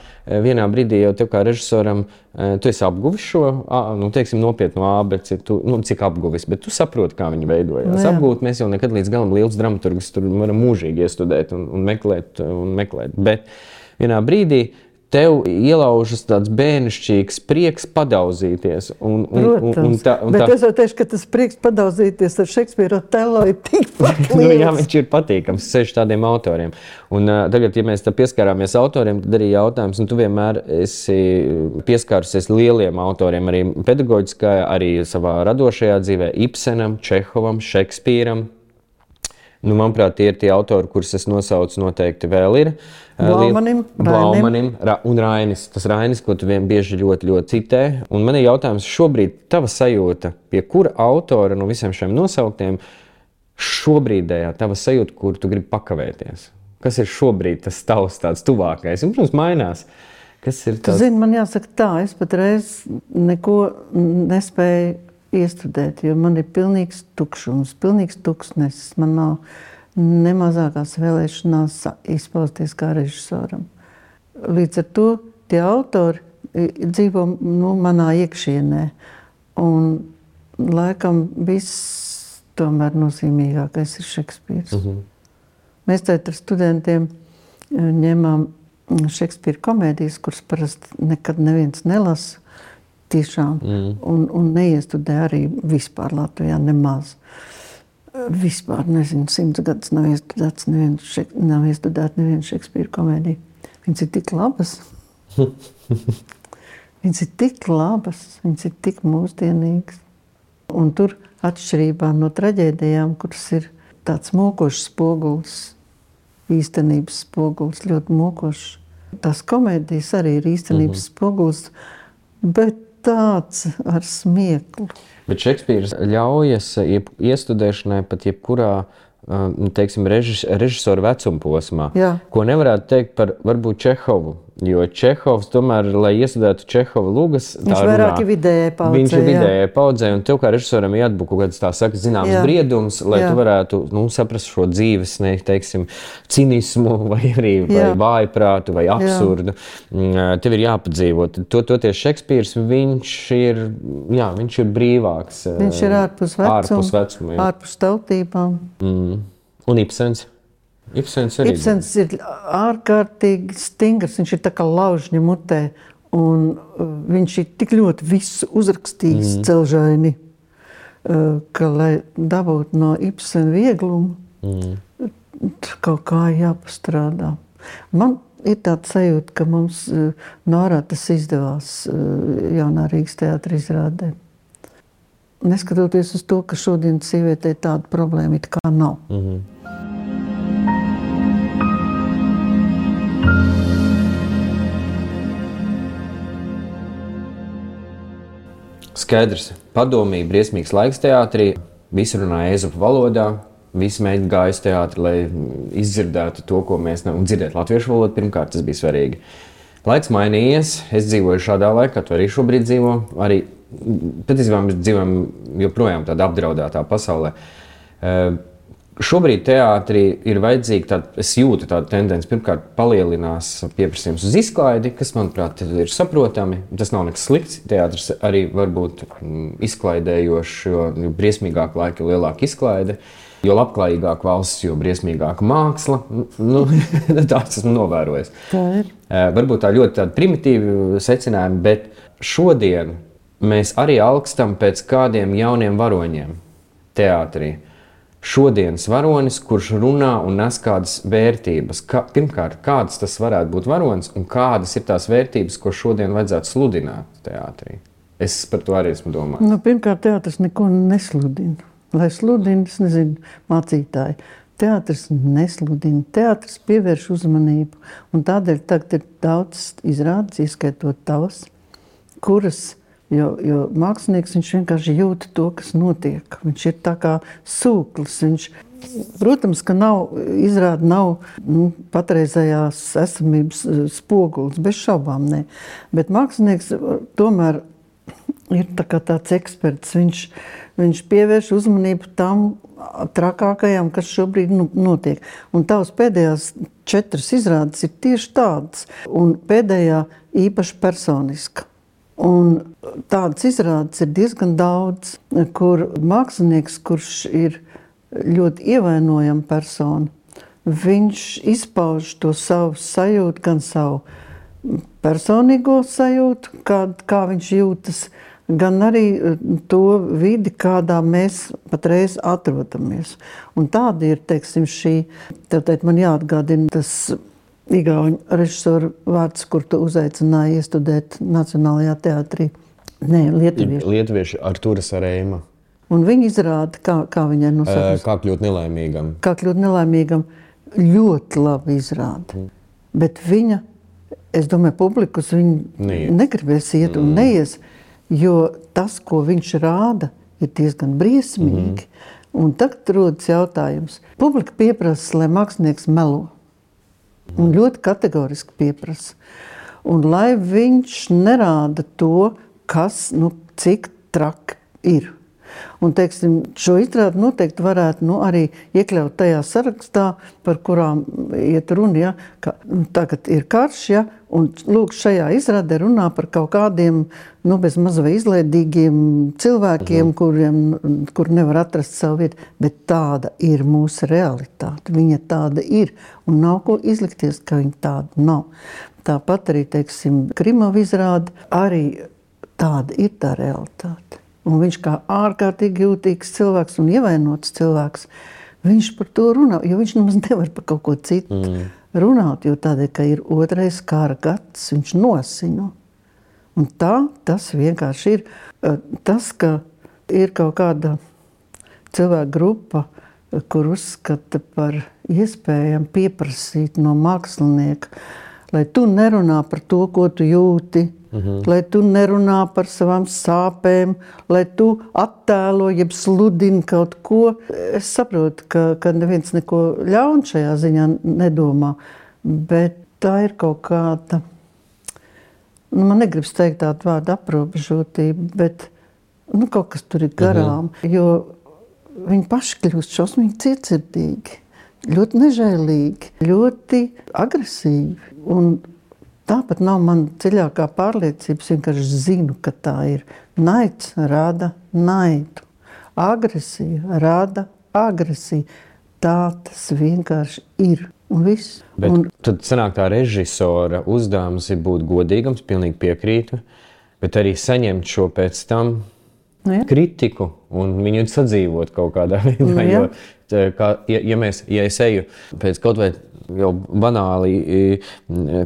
vienā brīdī jau tev kā režisoram, tu esi apguvis šo, nu, teiksim, nopietnu ābeci, tu, nu, cik apguvis, bet tu saproti, kā viņi veidojās. Nu, apgūt mēs jau nekad līdz galam liels dramaturgus tur varam mūžīgi iestudēt un, un meklēt un meklēt. Bet vienā brīdī tev ielaužas tāds bērnišķīgs prieks padauzīties. Un, un, Protams, un, un tā, un bet tā... es jau teikšu, ka tas prieks padauzīties ar Šekspīru Otello ir tikpat liels. nu, jā, viņš ir patīkams seši tādiem autoriem. Un uh, tagad, ja mēs tā pieskārāmies autoriem, tad arī jautājums, un tu vienmēr esi pieskārusies lieliem autoriem, arī pedagoģiskā, arī savā radošajā dzīvē, Ibsenam, Čehovam, Šekspīram. Nu, manuprāt, tie ir tie autori, kurus es nosaucu noteikti vēl ir. Blaumanim, Blaumanim un Rainis. Tas Rainis, ko tu vien bieži ļoti, ļoti citē. Un man ir jautājums šobrīd tava sajūta, pie kura autora no visiem šiem nosauktiem šobrīdējā tava sajūta, kur tu gribi pakavēties? Kas ir šobrīd tas tavs tāds tuvākais? Un, protams, mainās. Kas ir tas? Tu zini, man jāsaka tā, es patreiz neko nespēju iestudēt, jo man ir pilnīgs tukšums, pilnīgs tuksnesis. Man nav nemazākās vēlēšanās izpausties kā režisoram. Līdz ar to tie autori dzīvo nu, manā iekšienē. Un laikam viss tomēr nozīmīgākais ir Šekspīrs. Uh-huh. Mēs tagad ar studentiem ņemām Šekspīra komēdijas, kuras parasti nekad neviens nelasa. Tiešām, mm. un, un neiestudē arī vispār Latvijā nemaz. Vispār, nezinu, simts gadus nav iestudēts neviens, šek, nav iestudēt nevienu Šekspīra komēdiju. Viņas ir tik labas. Viņas ir tik labas, viņas ir tik mūsdienīgas. Un tur atšķirībā no traģēdijām, kuras ir tāds mokošs spogulis, īstenības spogulis, ļoti mokošs. Tās komēdijas arī ir īstenības mm-hmm. spogulis, bet tāds ar smieklu. Bet Šekspīrs ļaujas iestudēšanai pat jebkurā, teiksim, režis, režisoru vecuma posmā, Jā. ko nevarētu teikt par varbūt Čehovu. Jo Čehovs tomēr, lai iestudētu Čehova lugas, tā viņš vairāk ir vidējai paudzē. Viņš ir vidējai paudzē, un tev kā režisoram jāatbūt kaut kāds tā saka zināms jā. Briedums, lai jā. Tu varētu nu, saprast šo dzīves, ne, teiksim, cinismu vai arī vai vājprātu vai absurdu. Jā. Tev ir jāpadzīvot. To, toties Šekspīrs, viņš ir, jā, viņš ir brīvāks. Viņš ir ārpus vecuma, ārpus, vecuma, ārpus tautībām. Mm. Un Ibsens? Ibsens, arī. Ibsens ir ārkārtīgi stingrs, viņš ir tā kā laužņa mutē, un viņš ir tik ļoti visu uzrakstījis mm. celžaini, ka, lai dabūtu no Ibsena vieglumu, mm. kaut kā jāpastrādā. Man ir tāda sajūta, ka mums Nārā tas izdevās Jaunā Rīgas teātra izrādē. Neskatoties uz to, ka šodien sievietei tāda problēma it kā nav. Mm-hmm. Skaidrs. Padomīgi, briesmīgs laiks teātrī. Visi runāja ezopu valodā. Visi mēģināja gāja uz teātri, lai izdzirdētu to, ko mēs nevaram dzirdēt latviešu valodu. Pirmkārt, tas bija svarīgi. Laiks mainījies. Es dzīvoju šādā laikā, tu arī šobrīd dzīvo. Arī patiesībā mēs dzīvojam joprojām tādā apdraudētā pasaulē. Uh, šobrīd teātrī ir vajadzīga tāda, es jūtu tādu tendenci, pirmkārt palielinās pieprasījums uz izklaidi, kas, manuprāt, ir saprotami. Tas nav nekas slikts. Teātris arī var būt izklaidējošs, jo briesmīgāk laika, jo lielāka izklaide. Jo labklājīgāk valsts, jo briesmīgāka māksla. Nu, tāds esmu novērojis. Tā ir. Uh, varbūt tā ļoti tāda primitīva secinājuma, bet šodien mēs arī alkstam pēc kādiem jauniem varoņiem teātrī. Šodienas varonis, kurš runā un nes kādas vērtības. Kā, pirmkārt, kādas tas varētu būt varonis un kādas ir tās vērtības, ko šodien vajadzētu sludināt teātrī? Es par to arī esmu domājis. Nu, pirmkārt, teātris neko nesludina. Lai sludina, es nezinu, mācītāji. Teātris nesludina. Teātris pievērš uzmanību. Un tādēļ tagad ir daudz izrādes, ieskaitot tavas, kuras Jo, jo mākslinieks viņš vienkārši jūt to, kas notiek. Viņš ir tā kā sūklis. Viņš, protams, ka nav, izrāda nav nu, patreizējās esamības spogulis, bez šaubām ne. Bet mākslinieks tomēr ir tā kā tāds eksperts. Viņš, viņš pievērš uzmanību tam trakākajām, kas šobrīd nu, notiek. Un tavas pēdējās četras izrādes ir tieši tādas. Un pēdējā īpaši personiska. Un tādas izrādes ir diezgan daudz, kur mākslinieks, kurš ir ļoti ievainojama persona, viņš izpauž to savu sajūtu, gan savu personīgo sajūtu, kā, kā viņš jūtas, gan arī to vidi, kādā mēs patreiz atrodamies. Un tāda ir, teiksim, šī, tātad man jāatgādina tas igauņu režisoru vārds, kur tu uzaicināji iestudēt Nacionālajā teātrī. Nē, lietuvieši. Lietuvieši Artūras Areima. Un viņi izrāda, kā, kā viņai nosaukas. Kā kļūt nelaimīgam. Kā kļūt nelaimīgam. Ļoti labi izrāda. Mm. Bet viņa, es domāju, publikus viņa Neiet. negribēs iet un mm. neies, jo tas, ko viņš rāda, ir diezgan briesmīgi. Mm. Un tagad rodas jautājums. Publika pieprasa, lai mākslinieks melo. Un ļoti kategoriski pieprasa. Un lai viņš nerāda to, kas, nu, cik traki ir. Un, teiksim, šo izrādi noteikti varētu nu, arī iekļaut tajā sarakstā, par kurām iet runa, ja, ka tagad ir karš, ja, un lūk, šajā izrādē runā par kaut kādiem, nu, bez maz vai izlaidīgiem cilvēkiem, mhm. kuriem, kur nevar atrast savu vietu, bet tāda ir mūsu realitāte. Viņa tāda ir, un nav ko izlikties, ka viņa tāda nav. Tāpat arī, teiksim, Krimova izrāde, arī tāda ir tā realitāte. Un viņš kā ārkārtīgi jūtīgs cilvēks un ievainots cilvēks, viņš par to runā, jo viņš nemaz nevar par kaut ko citu mm. runāt, jo tādēļ, ka ir otrais kara gads, viņš nosino. Un tā tas vienkārši ir. Tas, ka ir kaut kāda cilvēka grupa, kur uzskata par iespējami pieprasīt no mākslinieka, lai tu nerunā par to, ko tu jūti, Mhm. lai tu nerunā par savām sāpēm, lai tu attēlo, jeb sludini kaut ko. Es saprotu, ka, ka neviens neko ļaunu šajā ziņā nedomā, bet tā ir kaut kāda nu, man negribas teikt tādu vārdu aprobežotību, bet nu, kaut kas tur ir garām, mm-hmm. jo viņi paši kļūst šausmīgi cietsirdīgi, ļoti nežēlīgi, ļoti agresīvi. Un tāpat nav man dziļākā pārliecība, es vienkārši zinu, ka tā ir. Naids rada naidu, agresija rada agresiju. Tā tas vienkārši ir. Un viss. Bet un, tad sanāk tā režisora uzdevums ir būt godīgams, pilnīgi piekrītu, bet arī saņemt šo pēc tam nu, ja. kritiku un viņu sadzīvot kaut kādā veidā. Nu, ja. Jo, kā, ja, ja, mēs, ja es eju pēc kaut vai jau banāli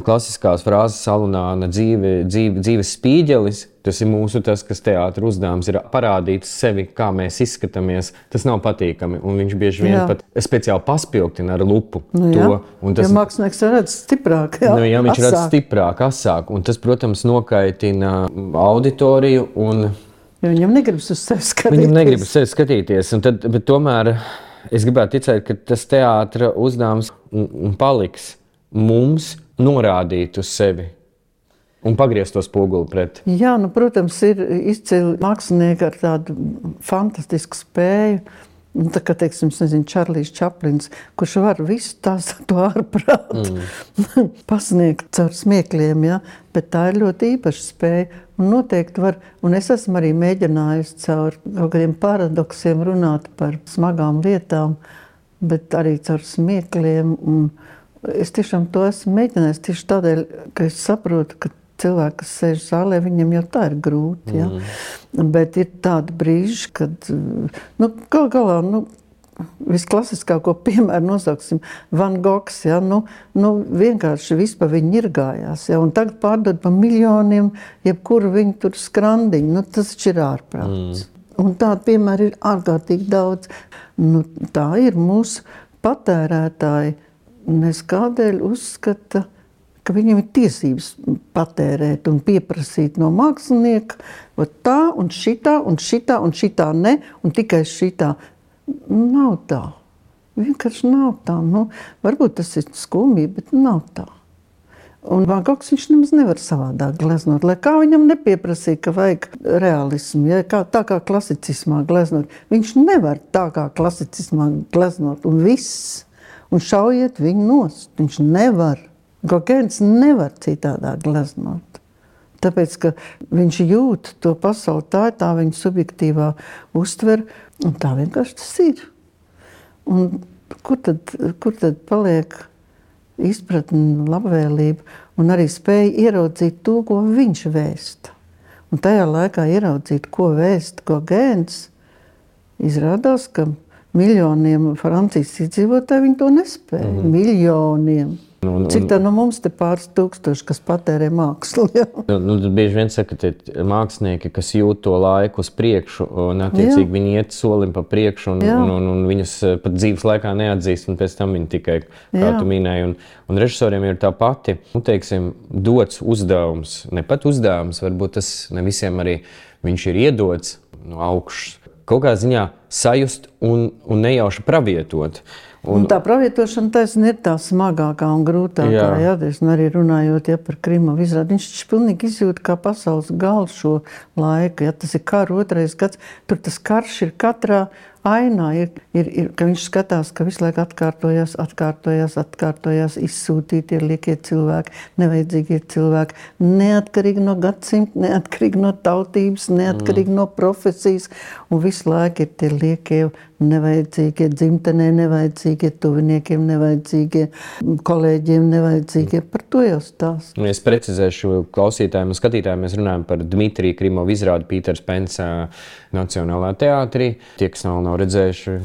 klasiskās frāzes salunāna dzīve, dzīve, dzīves spīģelis, tas ir mūsu tas, kas teātra uzdevums ir parādīt sevi, kā mēs izskatāmies. Tas nav patīkami, un viņš bieži vien jā. pat speciāli paspilgtina ar lupu nu, to. Un tas, ja mākslinieks redz stiprāk, jā, nu, jā, viņš asāk. redz stiprāk, asāk, un tas, protams, nokaitina auditoriju. Un jo viņam negribas uz sevi skatīties. Viņam negribas uz sevi skatīties, un tad, bet tomēr es gribētu ticēt, ka tas teātra uzdevums paliks mums norādīt uz sevi un pagriezt to spoguli pret. Jā, nu, protams, ir izcili mākslinieki ar tādu fantastisku spēju. Tā kā, teiksim, es nezinu, Čarlijs Čaplins, kurš var visu tās to ārprātu mm. pasniegt caur smiekļiem, ja? Bet tā ir ļoti īpaša spēja. Un noteikti var, un es esmu arī mēģinājusi caur kaut kādiem paradoksiem runāt par smagām lietām, bet arī caur smiekļiem. Un es tiešām to esmu mēģinājis tieši tādēļ, ka es saprotu, ka cilvēki, kas sēž zālē, viņam jau tā ir grūti. Ja? Mm. Bet ir tādi brīži, kad nu, gal galā, nu, visklasiskāko piemēru nosauksim Van Gogs, ja? nu, nu, vienkārši viss pa viņu irgājās. Ja? Un tagad pārdod pa miljoniem, jebkuru viņu tur skrandiņu. Nu, tas ir ārprāts. Mm. Un tādi piemēri ir ārkārtīgi daudz. Nu, tā ir mūsu patērētāji. Nes kādēļ uzskata, ka viņam ir tiesības patērēt un pieprasīt no mākslinieka tā un šitā un šitā un šitā ne, un tikai šitā. Nav tā. Vienkārši nav tā. Nu, varbūt tas ir skumji, bet nav tā. Un Van Gogs viņš nemaz nevar savādāk gleznot. Lai kā viņam nepieprasīja, ka vajag realismu, ja? kā, tā kā klasicismā gleznot. Viņš nevar tā kā klasicismā gleznot un viss. Un šaujiet viņu nost. Viņš nevar. Gogēns nevar citādāk gleznot. Tāpēc, ka viņš jūt to pasauli, tā ir tā viņa subjektīvā uztver, un tā vienkārši tas ir. Un kur tad, kur tad paliek izpratne, labvēlība, un arī spēja ieraudzīt to, ko viņš vēsta. Un tajā laikā ieraudzīt, ko vēsta Gogēns, izrādās, ka miljoniem Francijas iedzīvotāji viņi to nespēja. Mm-hmm. Miljoniem. Nu, un, Cik tā no mums te pāris tūkstoši, kas patērē mākslu? Ja? Nu, nu, bieži vien saka, ka mākslinieki, kas jūt to laiku uz priekšu, un attiecīgi jā. Viņi iet solim pa priekšu, un, un, un, un viņus pat dzīves laikā neatzīst, un pēc tam viņi tikai, kā jā. Tu minēji, un, un režisoriem ir tā pati, nu, teiksim, dots uzdevums, ne pat uzdevums, varbūt tas ne visiem arī viņš ir iedots no augšas, kaut kā ziņā sajust un, un nejauši pravietot. Un, un tā pravietošana taisnība ir tā smagākā un grūtākā. Jā. Jā, es arī runājot ja, par Krīmovu izrādi. Viņš pilnīgi izjūt kā pasaules galu šo laiku. Ja, tas ir kara otrais gads. Tur tas karš ir katrā ainā. Ir, ir, ir, ka viņš skatās, ka visu laiku atkārtojās, atkārtojās, atkārtojās, izsūtītie liekie cilvēki, nevajadzīgie cilvēki. Neatkarīgi no gadsimta, neatkarīgi no tautības, neatkarīgi mm. no profesijas. Un visu laiku ir tie liekie nevajadzīgie dzimtenē, nevajadzīgie tuviniekiem, nevajadzīgie kolēģiem, nevajadzīgie. Par to jau stāst. Es precizēšu klausītājiem un skatītājiem. Mēs runājam par Dmitrija Krīmovu izrādi Pīters Pens Nacionālā teātrī. Tie, kas nav, nav redzējuši,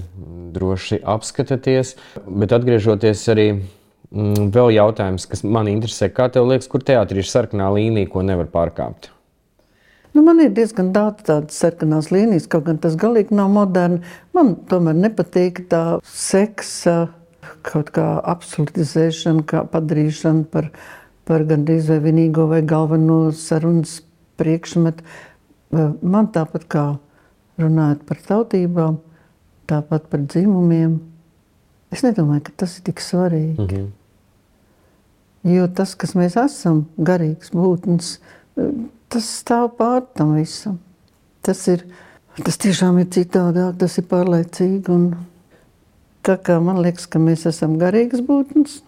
droši apskatāties. Bet atgriežoties arī mm, vēl jautājums, kas man interesē. Kā tev liekas, kur teātrī ir sarkanā līnija, ko nevar pārkāpt? Nu, man ir diezgan daudz tādas sarkanās līnijas, kaut gan tas galīgi nav moderni. Man tomēr nepatīk tā seksa, kaut kā absolutizēšana, kā padarīšana par, par gandrīz vai vienīgo vai galveno sarunas priekšmetu. Man tāpat kā runājot par tautībām, tāpat par dzimumiem, es nedomāju, ka tas ir tik svarīgi. Mm-hmm. Jo tas, kas mēs esam, garīgs būtnes, tas stāv pār tam visam. Tas ir, tas tiešām ir citādāk, tas ir pārlaicīgi. Un tā kā man liekas, ka mēs esam garīgas būtnes.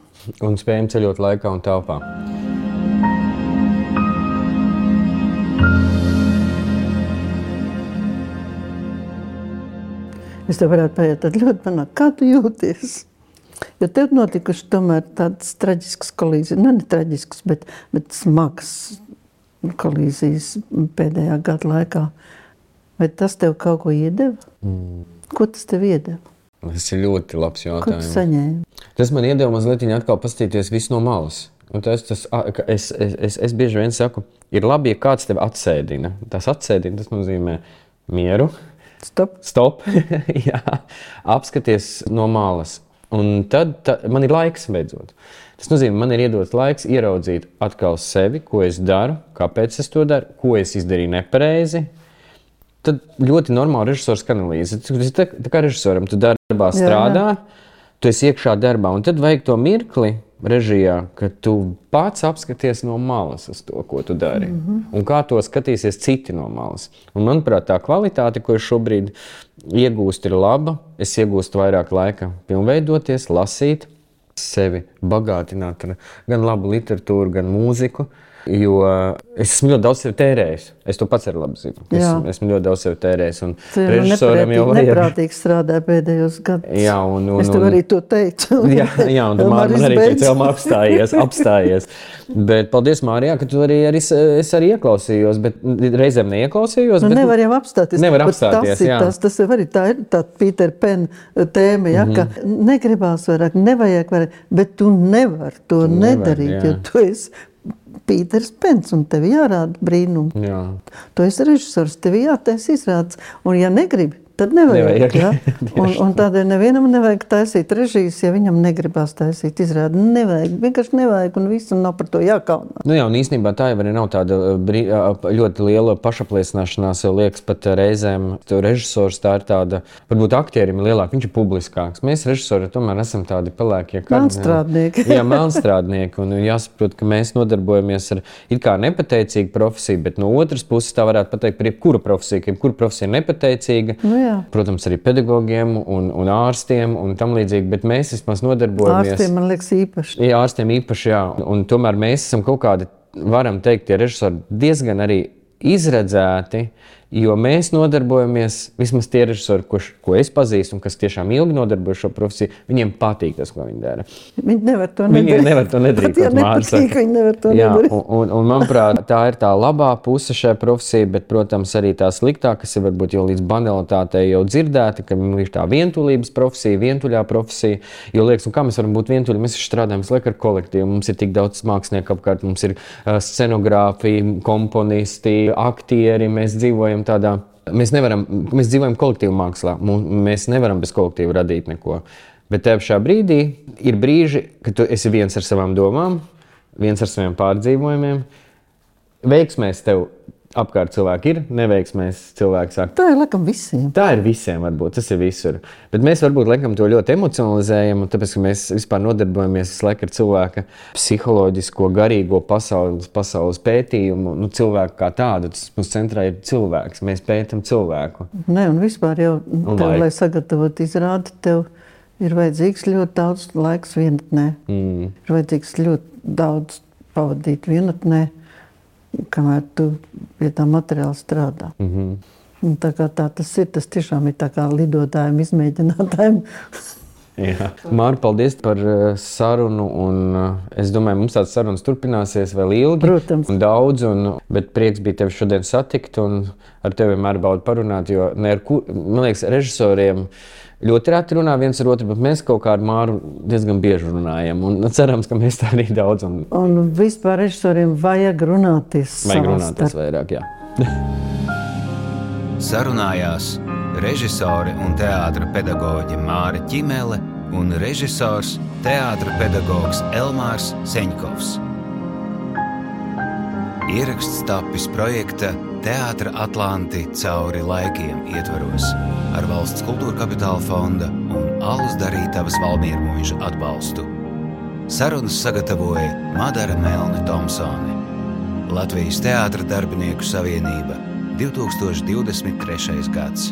Un spējam ceļot laikā un telpā. Es tev varētu paiet tad ļoti panākt, kā tu jūties? Jo tev notikuši tomēr tādas traģiskas kolīzijas, ne, ne traģiskas, bet, bet smagas kolīzijas pēdējā gada laikā. Vai tas tev kaut ko iedeva? Mm. Ko tas tev iedeva? Tas ir ļoti labs jautājums. Ko tu saņēmi? Tas man iedeva mazliet atkal pastīties visu no malas. Un tas, tas, es, es, es, es bieži vien saku, ir labi, ja kāds tev atsēdina. Tas atsēdina, tas nozīmē mieru. Stop. Stop. Jā, apskaties no malas. Un tad tā, man ir laiks beidzot. Tas nozīmē, man ir iedots laiks ieraudzīt atkal sevi, ko es daru, kāpēc es to daru, ko es izdarīju nepareizi. Tad ļoti normāli režisors analīze. Tā, tā kā režisoram tu darbā strādā, jā, jā. Tu esi iekšā darbā, un tad vajag to mirkli režijā, ka tu pats apskaties no malas uz to, ko tu dari. Mm-hmm. Un kā to skatīsies citi no malas. Un, manuprāt, tā kvalitāte, ko es šobrīd iegūstu, ir laba. Es iegūstu vairāk laika pilnveidoties, lasīt, sevi bagātināt ar gan labu literatūru, gan mūziku. Jo es esmu ļoti daudz sevi tērējis. Es to pats arī labi zinu. Es esmu, esmu ļoti daudz sevi tērējis. Un režisoram jau vajag... Neprātīgi strādāja pēdējos gados. Jā, un, un, es tev arī to teicu. Jā, jā un tu man, man arī pēc elma apstājies, apstājies. Bet paldies, Mārijā, ka tu arī, arī, es arī ieklausījos, bet reizēm neieklausījos. Nu, bet, nevar jau apstāties. Nevar apstāties, tas jā. Tas, tas arī tā ir tā Peter Pan tēma, ja, mm-hmm. ka negribās vairāk, nevajag vairāk, bet tu nevar to nevar, nedarīt, jā. Jo tu esi Pīters Pens, un tev jārāda brīnumu. Jā. Tu esi režisors, tev jātaisa izrādes, un ja negribi, tad nevajag. nevajag. Ja? Un, un tādēļ nevienam nevajag taisīt režijas, ja viņam negribās taisīt izrādi. Nevajag, vienkārši nevajag, un viss un nav par to jākaunās. Nu jā, un īstenībā tā jau arī nav tāda brī, ļoti liela pašapliecināšanās, jau liekas pat reizēm. Režisors tā ir tāda, varbūt aktierim ir lielāk, viņš ir publiskāks. Mēs režisori tomēr esam tādi pelēkie. Melnstrādnieki. Jā, melnstrādnieki, un jāsaprot, ka mēs nodarbojamies ar it kā nepateicīgu profesiju, bet no otras puses tā varētu pateikt par jebkuru profesiju, ka jebkura profesija ir nepateicīga. Nu jā. Protams, arī pedagogiem un, un ārstiem un tam līdzīgi, bet mēs vismaz nodarbojamies. Ārstiem, man liekas, īpaši. Jā, ārstiem īpaši, jā. Un, un tomēr mēs esam kaut kādi, varam teikt, tie režisori diezgan arī izredzēti, jo mēs nodarbojamies, vismaz tie režisori, ko, ko es pazīstu un kas tiešām ilgi nodarbojas šo profesiju, viņiem patīk tas, ko viņi dara. Viņi nevar to nedarīt. Viņi nevar to nedarīt. Pat, ja nepatīk, viņi nevar to jā, nedarīt. Un, un, un manuprāt, tā ir tā labā puse šajā profesijā, bet, protams, arī tā sliktā, kas ir varbūt jau līdz banalitātei jau dzirdēta, ka ir tā vientulības profesija, vientuļā profesija, jo liekas, un kā mēs varam būt vientuļi, mēs strādājam visu laiku ar kolektīvu, mums ir tik daudz mākslinieku apkārt, mums ir uh, scenogrāfi, komponisti, aktieri, mēs dzīvojam tādā, mēs nevaram, mēs dzīvojam kolektīvu mākslā, mēs nevaram bez kolektīvu radīt neko. Bet tev šā brīdī ir brīži, kad tu esi viens ar savām domām, viens ar saviem pārdzīvojumiem. Veiksmēs tev apkārt cilvēki ir, neveiksmēs cilvēki saka. Tā ir laikam visiem. Tā ir visiem varbūt, tas ir visur. Bet mēs varbūt laikam to ļoti emocionalizējam, un tāpēc, ka mēs vispār nodarbojamies visu laiku ar cilvēka psiholoģisko, garīgo pasaules, pasaules pētījumu. Nu, cilvēku kā tādu, tas mums centrā ir cilvēks, mēs pētam cilvēku. Ne, un vispār jau, tev, lai, lai sagatavot izrādi, tev ir vajadzīgs ļoti daudz laiks vienatnē. Mm. Ir vajadzīgs ļoti daudz pavadīt vienatnē, kamēr tu pie tā materiāla strādā. Mm-hmm. Un tā kā tā tas ir, tas tiešām ir tā kā lidotājiem, izmēģinātājiem. Jā. Māri, paldies par sarunu, un es domāju, mums tāds sarunas turpināsies vēl ilgi. Protams. Un daudz, un, bet prieks bija tevi šodien satikt, un ar tevi vienmēr baudu parunāt, jo ne ar kur, man liekas, režisoriem ļoti reti runā viens ar otru, bet mēs kaut kā ar Māru diezgan bieži runājam, un cerams, ka mēs tā arī daudz. Un, un vispār režisoriem vajag runāties vajag runāties vairāk, jā. Sarunājās režisore un teātra pedagoģe Māra Ķimele un režisors, teātra pedagogs Elmārs Seņkovs. Ieraksts tapis projekta Teātra Atlanti cauri laikiem ietvaros ar Valsts kultūra kapitāla fonda un Alus Darītavas Valmiermuiža atbalstu. Sarunas sagatavoja Madara Melne Tomsone. Latvijas Teātra darbinieku savienība, divtūkstoš divdesmit trešais gads.